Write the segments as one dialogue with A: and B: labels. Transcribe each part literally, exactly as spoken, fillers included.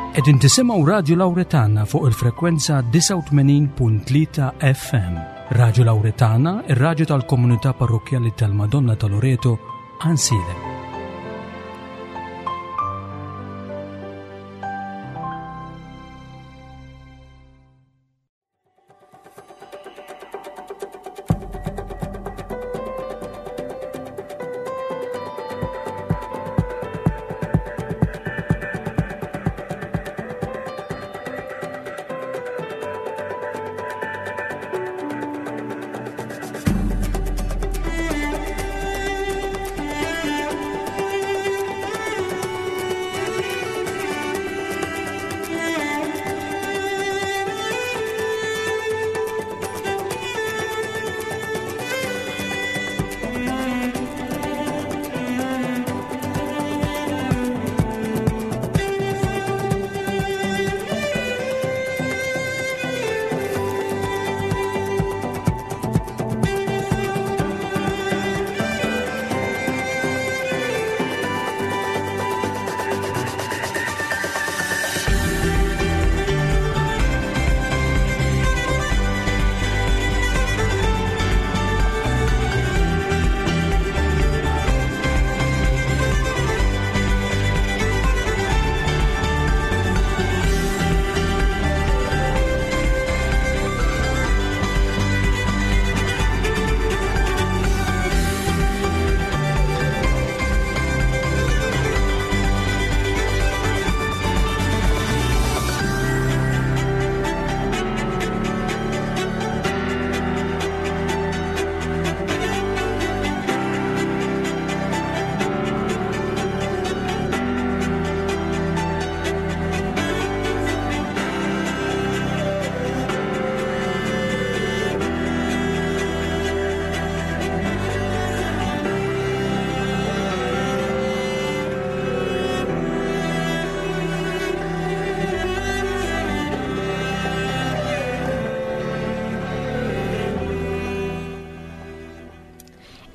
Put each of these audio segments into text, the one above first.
A: Qegħdin tisimgħu Radju Lawretana fuq il-frekwenza disgħa u tmenin punt tlieta F M. Radju Lawretana, ir-radju tal-Komunità Parrokkjali tal-Madonna ta' Loreto, Għajnsielem.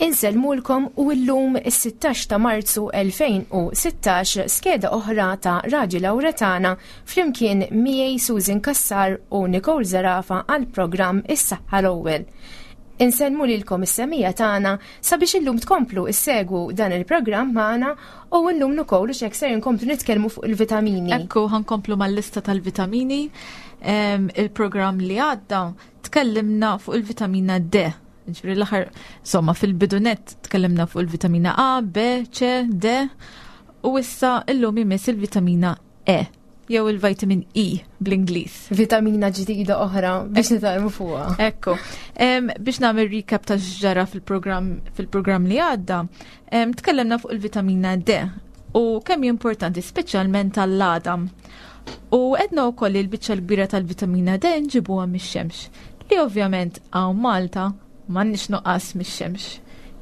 B: Insellmulkom u llum is-sittax ta' Marzu elfejn u sittax skeda oħra ta' Radju Lawretana flimkien miegħi Susan Cassar u Nicole Zerafa għal programm Is-Saħħa l-Ewwel. Insellmu lilkom is-semija tagħna sabiex illum tkomplu issegwu dan il-programm magħna u llum ukoll u x'hekk ser inkomplu nitkellmu fuq il-vitamini.
C: Ekku, ħankomplu mal-lista tal-vitamini. Em, il-programm li għadda tkellimna fuq il-vitamina D. Ġifieri l-aħħar, insomma, fil-bidunet tkellimna fuq il-vitamina A, B, C, D u issa illum imiss il-vitamina E jew il-vitamin E bl-Ingliż.
B: Vitamina ġdida oħra biex nitgħallmu fuqha.
C: Ekku. Em, biex nagħmel recap ta' x'ġara fil-programm, fil-programm li għadda, em, tkellimna fuq il-vitamina D u kemm hi importanti speċjalment għall-għadam. U għedna wkoll li l-biċċa l-kbira tal-vitamina D nġibuha mix-xemx, li ovvjament hawn Malta m'għandniex nuqqas mix-xemx.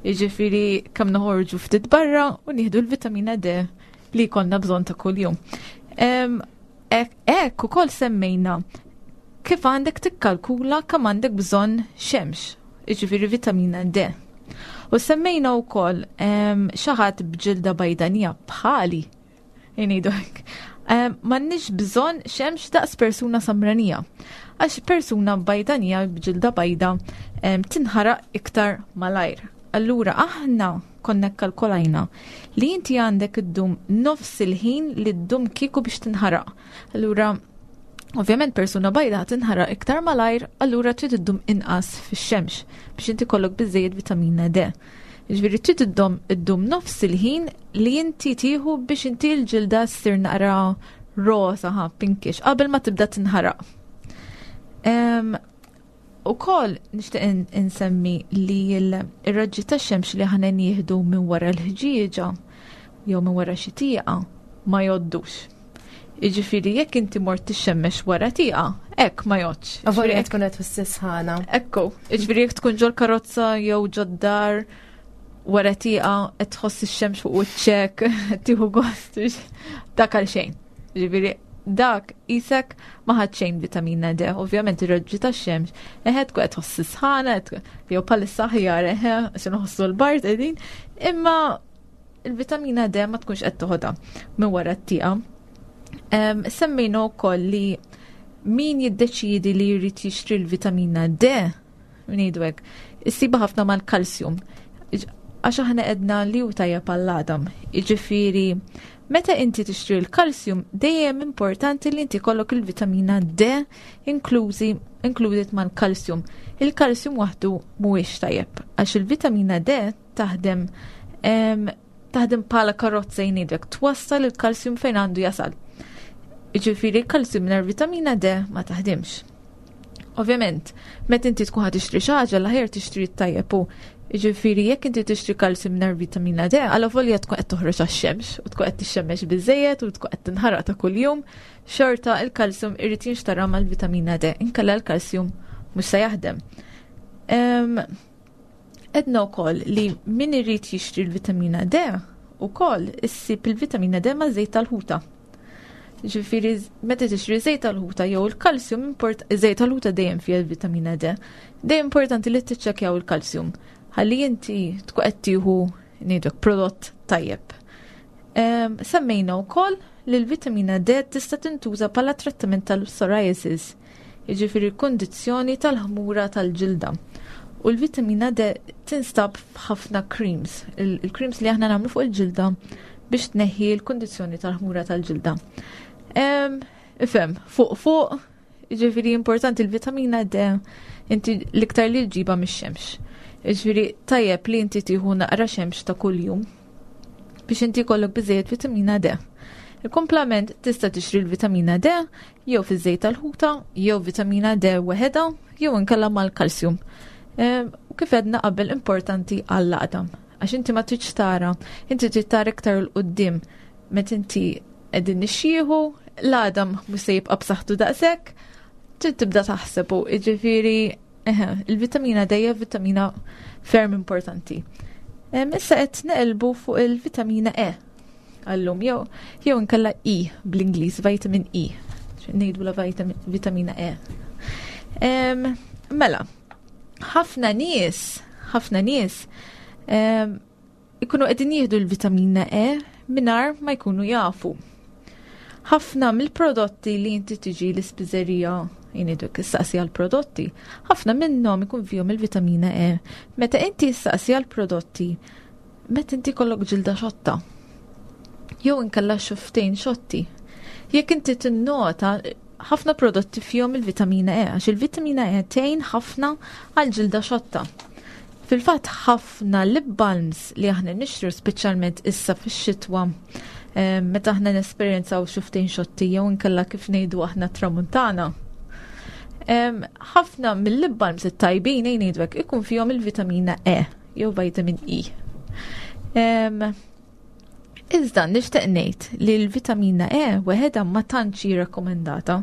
C: Jiġifieri kemm noħorġu ftit barra u nieħdu l-vitamina D li jkollna bżonn ta' kuljum. Em, ek-, Hekk ukoll semmejna kif għandek tikkalkula kemm għandek bżonn xemx, jiġifieri vitamina D. U semmejna wkoll, em, xi ħadd b'ġilda bajdanija bħali, ngħidu hekk. Em, m'għandniex bżonn xemx daqs persuna samranija. Għax persuna bajdanija b'ġilda bajda, em, tinħaraq iktar malajr. Allura aħna konna kkalkolajna li inti għandek iddum nofs il-ħin li ddum kieku biex tinħaraq. Allura ovvjament persuna bajda tinħaraq iktar malajr, allura trid iddum inqas fix-xemx biex inti kollok biżejjed vitamina D. Jiġifieri trid iddum, iddum nofs il-ħin li inti tieħu biex inti l-ġilda ssir naqra rosa, ha, pinkish, qabel ma tibda tinħaraq. Em, U kol nixtieq in-, insemmi li l-, ir-raġġi tax-xemx li aħna nieħdu minn wara l-ħġieġa jew minn wara xi tieqa ma jgħoddux. Jiġifieri jekk inti mort tixxemmex wara tieqa, hekk ma jgħoddx.
B: Avolja qed tkun qed tħoss sħana.
C: Ekku, jiġifieri jekk tkun ġol karozza jew ġod-dar wara tieqa qed tħoss ix-xemx fuq wiċċek, qed tieħu gost biex dak għal xejn. Jiġifieri dak isek ma ħadd xejn vitamina D, ovvjament ir-raġġi tax-xemx, eħe tkun qed tħoss sħana, jew bħalissa aħjar, eħe, għax inħossu l-bard qegħdin, imma il-vitamina D ma tkunx qed toħodha minn wara t-tieqa. Semmejna wkoll li min jiddeċidi li jrid jixtri l-vitamina D, ngħidu hekk, issiba ħafna mal-kalsjum. Għax aħna għedna li hu tajjeb għall-għadam. Jiġifieri, meta inti tixtri l-kalsjum, dejjem importanti li inti jkollok il-vitamina D inklużi included mal-kalsjum. Il-kalsjum waħdu mhuwiex tajjeb, għax il-vitamina D taħdem taħdem bħala karozza, jgħidlek, twassal il-kalsjum fejn għandu jasal. Jiġifieri il-kalsjum mingħajr vitamina D ma taħdimx. Ovvjament, meta inti tkun ħa tixtri xi ħaġa, l-aħjar tixtri tajjeb u jiġifieri jekk inti tixtri kalsjum mingħajr vitamina D, għalavolja tkun qed toħroġ għax-xemx u tkun qed tixxemmex biżejjed u tkun qed tinħaraq ta' kuljum, xorta il-kalsjum irid jinxtara mal-vitamina D, inkella l-kalsjum mhux se jaħdem. Għedna wkoll li min irid jixtri l-vitamina D ukoll issib il-vitamina D ma' żejt tal-ħuta. Ġifieri, meta tixtri żejt tal-ħuta jew il-kalsjum, import żejt tal-ħuta dejjem fiha l-vitamina D. Dejjem importanti li tiċċekkjaw il-kalsjum ħalli inti tkun qed tieħu, ngħidlek, prodott tajjeb. Semmejna wkoll li l-vitamina D tista' tintuża bħala trattament tal-psoriasis, jiġifieri kundizzjoni tal-ħmura tal-ġilda. U l-vitamina D tinstab f'ħafna creams, il-creams li aħna nagħmlu fuq il-ġilda biex tneħħi l-kundizzjoni tal-ħmura tal-ġilda. Ifhem, fuq fuq, ġifieri importanti l-vitamina D inti l-iktar li ġġibha mix-xemx. Ġifieri tajjeb li inti tieħu naqra xemx ta' kuljum biex inti jkollok biżejjed vitamina D. Il-komplement tista' tixtri l-vitamina D jew fiż-żejt tal-ħuta, jew vitamina D weħeda, jew inkella mal-kalsjum. U kif għedna qabel, importanti għall-għadam. Għax inti ma tridx tara, inti trid tara iktar 'il quddiem meta inti qegħdin nixjieħu, l-għadam mhux se jibqa' b'saħħtu daqshekk, trid tibda taħseb u jiġifieri il-vitamina D hija vitamina ferm importanti. Issa qed neqilbu fuq il-vitamina E għallum, jew jew inkella E bl-Ingliż, vitamin E. Ngħidu la vitamina E. Mela, ħafna nies, ħafna nies ikunu qegħdin jieħdu l-vitamina E mingħajr ma jkunu jafu. Ħafna mill-prodotti li inti tiġi l-ispiżerija, jgħiduk issaqsi għal-prodotti, ħafna minnhom ikun fihom il-vitamina E. Meta inti issaqsi għal-prodotti, meta inti jkollok ġilda xotta, jew inkella xufftejn xotti. Jekk inti tinnota, ħafna prodotti fihom il-vitamina E, għax il-vitamina E tgħin ħafna għal ġilda xotta. Fil-fatt ħafna lip balms li aħna nixtru, speċjalment issa fix-xitwa, meta aħna nesperjenzaw xufftejn xotti jew inkella kif ngħidu aħna tramuntana. Ħafna mill-lip balms it-tajbin, ngħidu, ikun fihom il-vitamina E jew vitamin E. Iżda nixtieq ngħid li l-vitamina E weħedha ma tantx hi rakkomandata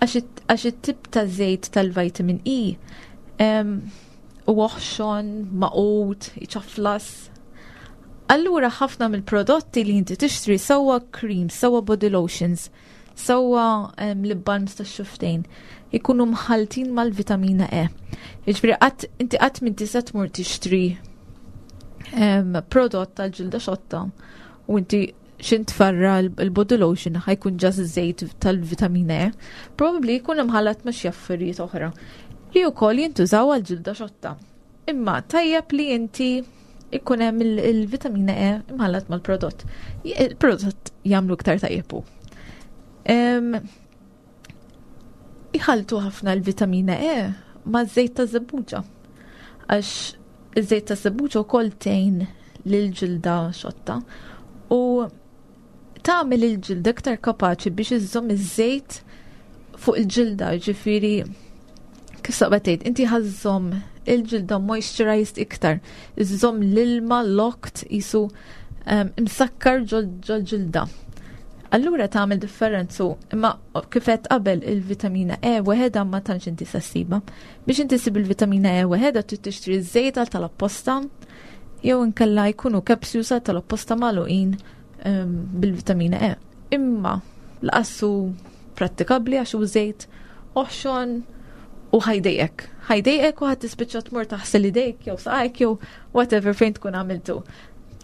C: għax it-tip ta' żejt tal-vitamin E u oħxon, magħqud, iċaflas. Allura ħafna mill-prodotti li inti tixtri, sewwa cream, sewwa body lotions, sewwa lip balms ta' xufftejn, ikunu mħaltin mal-vitamina E. Jiġifieri qatt inti qatt minn tista' tmur tixtri prodott tal-ġilda xotta u inti xin tfarra l-body lotion ħa jkun just żejt tal-vitamina E. Probably jkun imħallat ma' xi affarijiet oħra li wkoll jintużaw għal ġilda xotta. Imma tajjeb li inti ikun hemm il-vitamina E imħallat mal-prodott. Il-prodott jagħmlu iktar tajjeb hu. Iħaltu ħafna l-vitamina E ma' żejt ta' żebbuġa. Għax iż-żejt ta' żebbuġa wkoll tgħin lil-ġilda xotta u tagħmel il-ġilda iktar kapaċi biex iżżomm iż-żejt fuq il-ġilda, ġifieri kif saqbet tgħid, inti ħa żżomm il-ġilda moisturized iktar, iżżomm l-ilma locked jisu imsakkar ġol-ġilda. Allura tagħmel differenzu, imma kif għedt qabel, il-vitamina E weħeda ma tantx inti ssibha. Biex inti ssib il-vitamina E weħeda trid tixtri żejt tal-apposta jew inkella jkunu capsules tal-apposta magħluqin bil-vitamina E. Imma lanqas hu prattikabbli għax hu żejt oħxon u ħa jdejqek. Ħa jdejqek u ħa tispiċċa tmur taħsel idejk jew saqajk jew whatever fejn tkun għamiltu.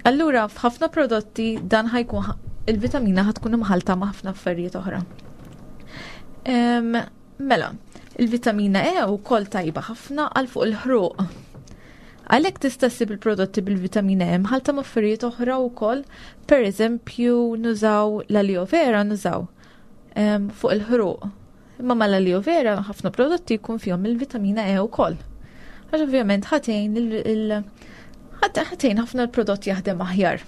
C: Allura f'ħafna prodotti dan ħa jkun il-vitamina ħa tkun imħalta ma' ħafna affarijiet oħra. Mela, il-vitamina E wkoll tajba ħafna għal fuq il-ħruq. Għalhekk tista' ssib il-prodotti bil-vitamina E mħalta ma' affarijiet oħra wkoll, per eżempju nużaw l-aloe vera, nużaw fuq il-ħruq. Imma mal-aloe vera ħafna prodotti jkun fihom il-vitamina E wkoll. Għax ovvjament ħa tgħin il ħa tgħin ħafna l-prodott jaħdem aħjar.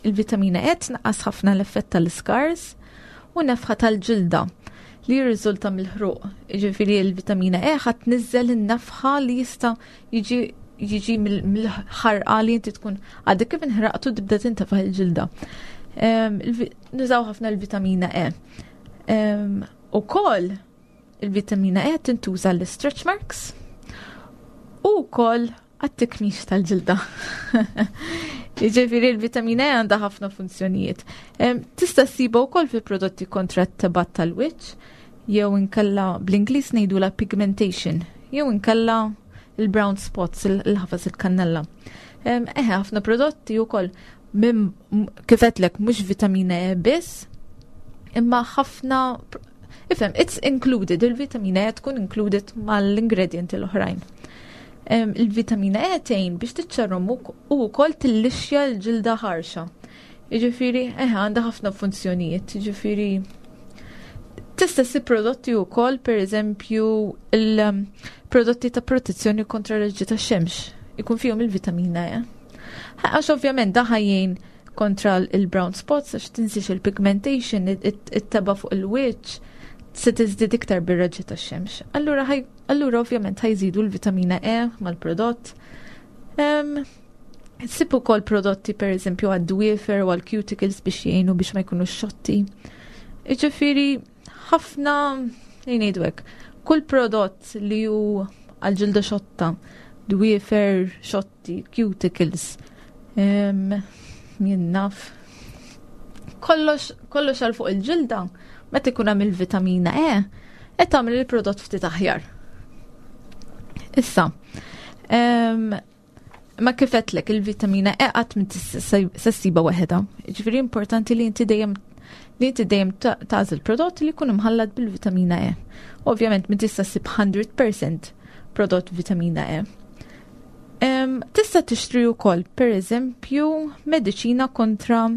C: Il-vitamina E tnaqqas ħafna l-effett tal-scars u nefħa tal-ġilda li jirriżulta mill-ħruq. Ġifieri il-vitamina E ħa tniżżel in-nefħa li jista' jiġi jiġi mill-ħarqa li inti tkun għadek kif inħraqtu, tibda tintefaħ il-ġilda. Nużaw ħafna l-vitamina E. Ukoll il-vitamina E tintuża l-stretch marks u wkoll għat-tikmix tal-ġilda. Ġifieri il-vitamina E għandha ħafna funzjonijiet. Tista' ssiba wkoll fi prodotti kontra t-tebgħat tal-wiċċ, jew inkella bl-Ingliż ngħidula pigmentation, jew inkella il-brown spots, il-ħafas il-kannella. Eħe, ħafna prodotti wkoll minn kif għedtlek mhux vitamina E biss, imma ħafna, ifhem, it's included, il-vitamina E tkun included mal-ingredienti l-oħrajn. Il-vitamina E tgħin biex tiċċarrom u wkoll tillixxja l-ġilda ħarxa. Jiġifieri, eħe, għandha ħafna funzjonijiet, jiġifieri tista' ssib prodotti wkoll, pereżempju il-prodotti ta' protezzjoni kontra raġġi tax-xemx, ikun fihom il-vitamina E. Għax ovvjament da ħa jgħin kontra il-brown spots, għax tinsiex il-pigmentation, it-tebgħa fuq il-wiċċ, se tiżdied iktar bir-raġġi tax-xemx. Allura allura ovvjament ħa jżidu l-vitamina E mal-prodott. Ssib ukoll prodotti, per eżempju, għad-dwiefer u għal-cuticles biex jgħinu biex ma jkunu xotti. Ġifieri ħafna, ngħidu hekk, kull prodott li hu għal-ġilda xotta, dwiefer, xotti, cuticles, jien naf. Kollox, kollox għal fuq il-ġilda, meta ikun hemm il-vitamina E, qed tagħmel il-prodott ftit aħjar. Issa, ma kif għedtlek, il-vitamina E qatt ma se ssibha waħedha. Ġifieri importanti li inti dejjem li inti dejjem tagħżel prodott li jkun imħallat bil-vitamina E. Ovvjament ma tista' ssib mija fil-mija prodott vitamina E. Tista' tixtri wkoll, per eżempju, mediċina kontra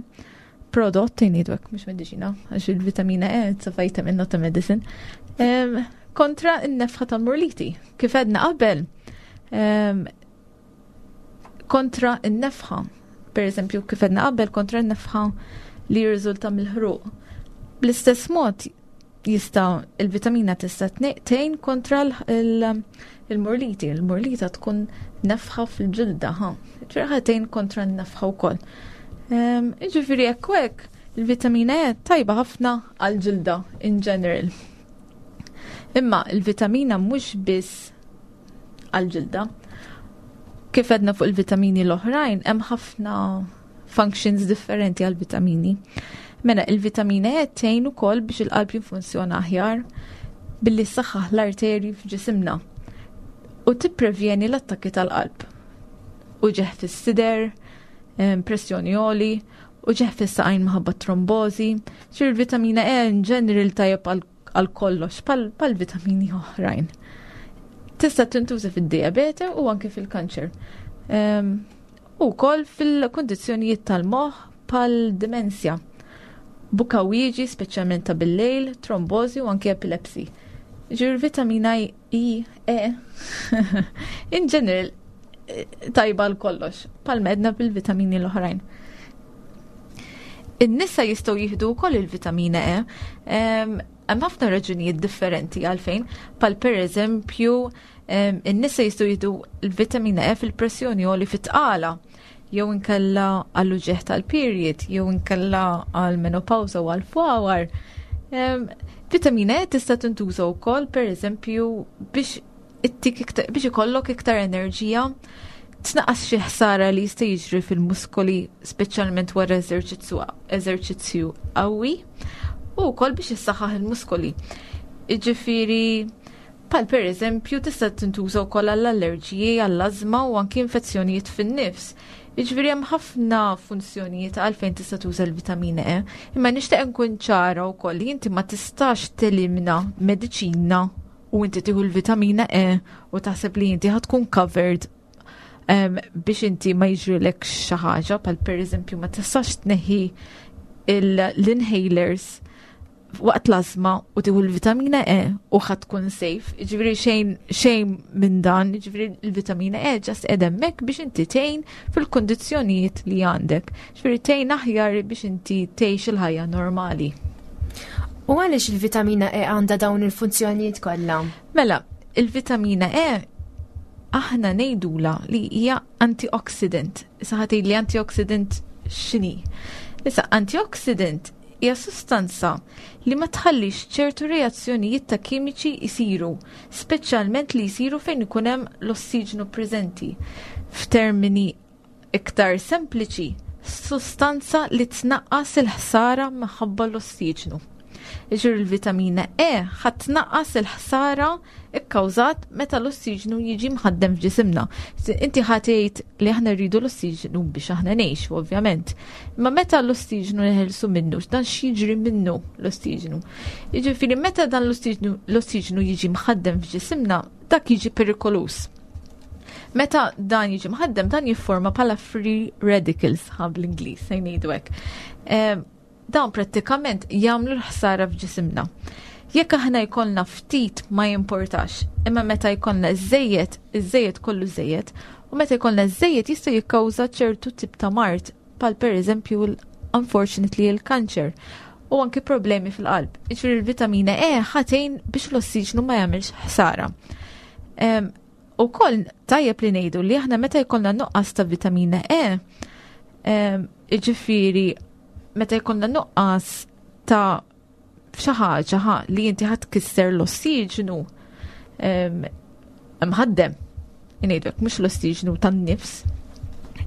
C: prodott, ngħidu hekk, mhux mediċina, għax il-vitamina E, it's a vitamin, not a medicine, um, kontra n-nefħa tal-murliti. Kif għedna qabel, um, kontra n-nefħa, per eżempju, kif għedna qabel, kontra n-nefħa li jirriżulta mill-ħruq. Bl-istess mod jista' il-vitamina tista' tgħin kontra il-murliti. Il-murlita tkun nefħa fil-ġilda, ha. Ġifieri tgħin kontra n-nefħa wkoll. Ġifieri hekk hekk il-vitamina E tajba ħafna għal-ġilda in general. Imma il-vitamina mhux biss għal-ġilda. Kif għedna fuq il-vitamini l-oħrajn, hemm ħafna functions differenti għal-vitamini. Mela, il-vitamina E tgħin ukoll biex il-qalb jinfunzjona aħjar billi ssaħħaħ l-arterji f'ġisimna u tipprevjeni l-attakki tal-qalb. Uġigħ fis-sider, pressjoni għoli, uġigħ fis-saqajn minħabba trombozi. Ġifieri il-vitamina E in general tajjeb għal kollox, bħal vitamini oħrajn. Tista' tintuża fid-diabete u anke fil-kanċer. U wkoll fil-kondizzjonijiet tal-moħħ bħal dimensja. Bukawieġi, speċjalment ta' bil-lejl, trombozi u anke epilepsy. Ġifieri vitamina I, E, in general, tajba għal kollox, bħalma għedna bil-vitamini l-oħrajn. In-nisa jistgħu jieħdu wkoll il-vitamina E. Hemm ħafna raġunijiet differenti għalfejn, bħal per eżempju in-nisa jistgħu jieħdu l-vitamina E fil-pressjoni għoli fit-tqala, jew inkella għall-uġigħ tal-period, jew inkella għal-menopawsa u għal-fwawar. Vitamina E tista' tintuża wkoll, per eżempju, biex biex ikollok iktar enerġija, tnaqqas xi ħsara li jista' jiġri fil-muskoli, speċjalment wara eżerċizzju eżerċizzju qawwi, u wkoll biex issaħħaħ il-muskoli. Jiġifieri bħal per eżempju tista' tintuża wkoll għall-allerġiji, għall-ażma u anki infezzjonijiet fin-nifs. Jiġifieri hemm ħafna funzjonijiet għalfejn tista' tuża l-vitamina E, imma nixtieq nkun ċara wkoll li inti ma tistax telimna mediċina u inti tieħu l-vitamina E u taħseb li inti ħa tkun covered um, biex inti ma jiġrilek xi ħaġa, bħal pereżempju ma tistax tneħħi l-inhalers waqt l-azma u tieħu l-vitamina E u ħa tkun safe. Ġifieri xejn xejn minn dan, ġifieri l-vitamina E just qiegħda hemmhekk biex inti tgħin fil-kondizzjonijiet li għandek. Ġifieri tgħin aħjar biex inti tgħix il-ħajja normali.
B: U għaliex il-vitamina E għandha dawn il-funzjonijiet kollha?
C: Mela, il-vitamina E aħna ngħidula li hija antioxidant. Issa ħa tgħid li antioxidant x'inhi? Issa, antioxidant hija sustanza li ma tħallix ċertu reazzjonijiet ta' kimiċi jisiru, speċjalment li jisiru fejn ikun hemm l-ossiġnu preżenti. F'termini iktar sempliċi, sustanza li tnaqqas il-ħsara minħabba l-ossiġnu. Ġifieri il-vitamina E ħa tnaqqas il-ħsara ikkawżat meta l-ossiġnu jiġi mħaddem f'ġisimna. Inti ħa tgħid li aħna rridu l-ossiġnu biex aħna ngħixu, ovvjament. Imma meta l-ossiġnu neħelsu minnu, dan x'jiġri minnu l-ossiġnu? Jiġifieri meta dan l-ossiġnu l-ossiġnu jiġi mħaddem f'ġisimna, dak jiġi perikolus. Meta dan jiġi mħaddem, dan jifforma bħala free radicals, ħa bl-Ingliż, se ngħidu hekk. Dawn prattikament jagħmlu l-ħsara f'ġisimna. Jekk aħna jkollna ftit ma jimportax, imma meta jkollna żejjed, iż-żejjed kollu żejjed, u meta jkollna żejjed jista' jikkawża ċertu tip ta' mard, bħal pereżempju unfortunately il-kanċer u anki problemi fil-qalb. Jiġifieri il-vitamina E ħa tgħin biex l-ossiġnu ma jagħmilx ħsara. U koll tajjeb li ngħidu li aħna meta jkollna nuqqas ta' vitamina E, jiġifieri meta jkollna nuqqas ta' xi ħaġa ħa li inti ħa tkisser l-ossiġnu mħaddem, ngħidu mhux l-ossiġnu tan-nifs,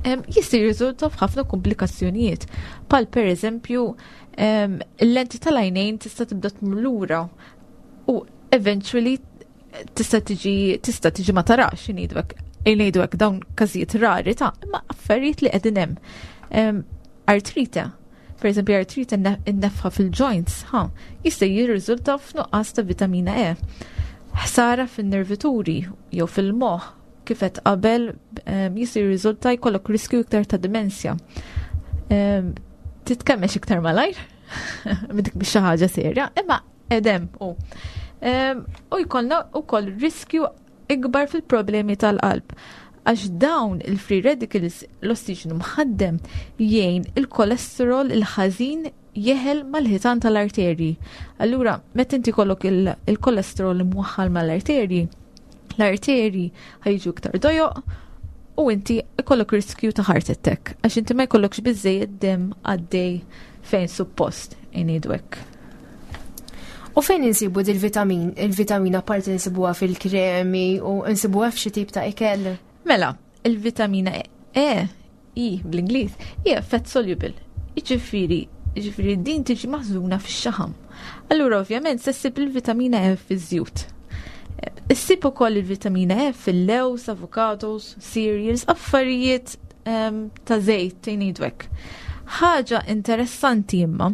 C: jista' jirriżulta f'ħafna komplikazzjonijiet. Bħal per eżempju, il-lenti tal-għajnejn tista' tibda tmur lura u eventually tista' tiġi tista' tiġi ma tarax, ngħidu hekk ngħidu hekk dawn każijiet rari ta' imma affarijiet li qegħdin hemm. Artrite, per eżempju artrite, in-nefħa fil-joints, ha, jista' jirriżulta f'nuqqas ta' vitamina E. Ħsara fin-nervituri jew fil-moħħ, kif qed qabel, jista' jirriżulta jkollok riskju iktar ta' demenzja. Titkemmex iktar malajr, dik biex xi ħaġa serja, imma edem u. U jkollna wkoll riskju ikbar fil-problemi tal-qalb. Għax dawn il-free radicals, l-ossiġnu mħaddem jgħin il-kolesterol il-ħażin jeħel mal-ħitan tal-arterji. Allura, meta inti kollok il-kolesterol imwaħħal mal-arterji, l-arterji ħa jiġu iktar dojoq u inti ikollok riskju ta' heart attack, għax inti ma jkollokx biżejjed dem għaddej fejn suppost, ngħidu hekk.
B: U fejn insibu dil-vitamin? Il-vitamina parti insibuha fil-kremi u insibuha f'xi tip ta' ikel?
C: Mela, il-vitamina E, E bl-Ingliż, hija fat soluble. Jiġifieri, jiġifieri din tiġi maħżuna fix-xaħam. Allura ovvjament se ssib il-vitamina E fiż-żjut. Issib ukoll il-vitamina E fil-lews, avocados, cereals, affarijiet um, ta' żejt, ngħidu hekk. Ħaġa interessanti imma,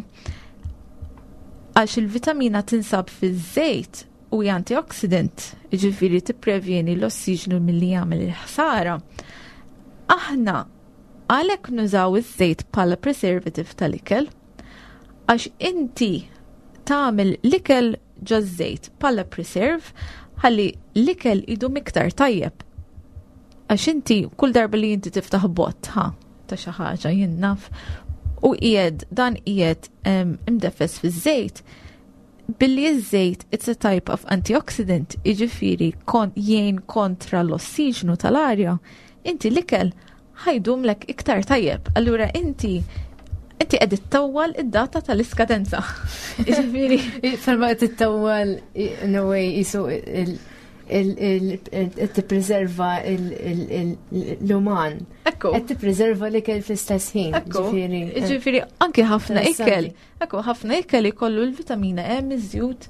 C: għax il-vitamina tinsab fiż-żejt u hija antioxidant, jiġifieri tipprevjeni l-ossiġnu milli jagħmel il-ħsara. Aħna għalhekk nużaw iż-żejt bħala preservative tal-ikel, għax inti tagħmel l-ikel ġoż-żejt bħala preserve ħalli l-ikel idum iktar tajjeb. Għax inti kull darba li inti tiftaħ bott ha ta' xi ħaġa, jien naf, u qiegħed dan qiegħed imdeffes fiż-żejt, billi iż-żejt it's a type of antioxidant, jiġifieri kon jgħin kontra l-ossiġnu tal-arja, inti l-ikel ħa jdumlek iktar tajjeb. Allura inti inti qed ittawwal id-data tal-iskadenza. Jiġifieri
B: Ferma qed ittawwal in a way jisu tippreserva l-uman.
C: Ekku.
B: Qed tippreserva l-ikel fl-istess ħin.
C: Ekku.
B: Ġifieri, eh.
C: Ġifieri anke ħafna ikel.
B: Interessanti.
C: Ekku, ħafna ikel ikollu l-vitamina E miżjud,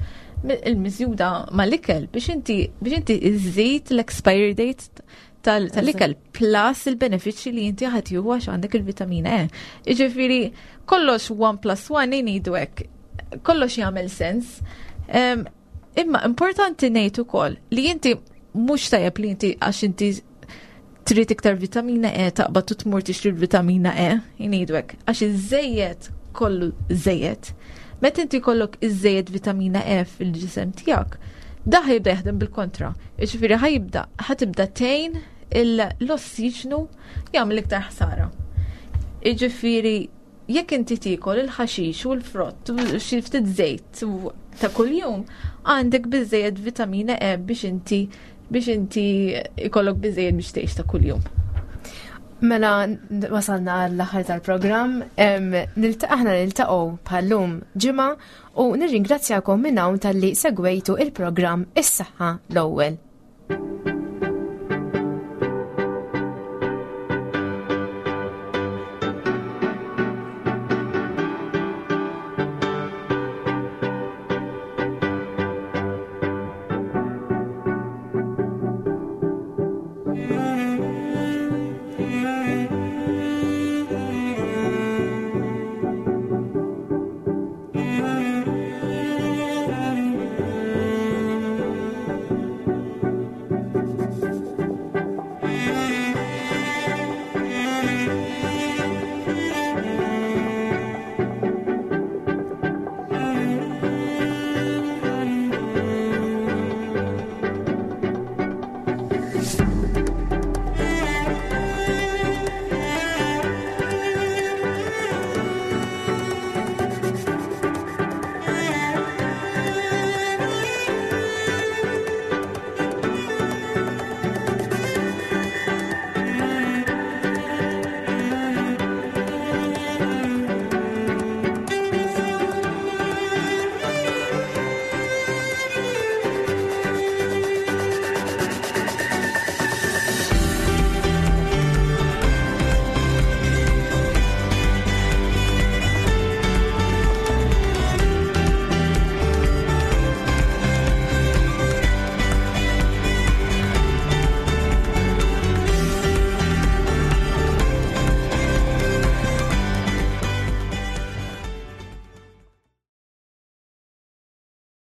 C: il-miżjuda mal-ikel biex inti biex inti iżżid l-expiry date. tal-ikel plus il-benefiċċji li inti ħa tieħu għax għandek il-vitamina E. Jiġifieri kollox one plus one ngħidu hekk, kollox jagħmel sens. Imma importanti ngħid ukoll li inti mhux tajjeb li inti għax inti trid iktar vitamina E taqbad u tmur tixtri vitamina E, ngħidu hekk, għax iż-żejjed kollu żejjed. Meta inti jkollok iż-żejjed vitamina E fil-ġisem tiegħek, da ħa jibda jaħdem bil-kontra. Jiġifieri ħa jibda ħa tibda tgħin l-ossiġnu jagħmel iktar ħsara. Jiġifieri jekk inti tiekol il-ħaxix u l-frott u xi ftit żejt ta' kuljum, għandek biżejjed vitamina E biex inti biex inti ikollok biżejjed biex tgħix ta' kuljum.
B: Mela wasalna għall-aħħar tal-programm, aħna niltaqgħu bħal-lum ġimgħa u nirringrazzjakom minn hawn talli segwejtu il-programm Is-Saħħa l-Ewwel.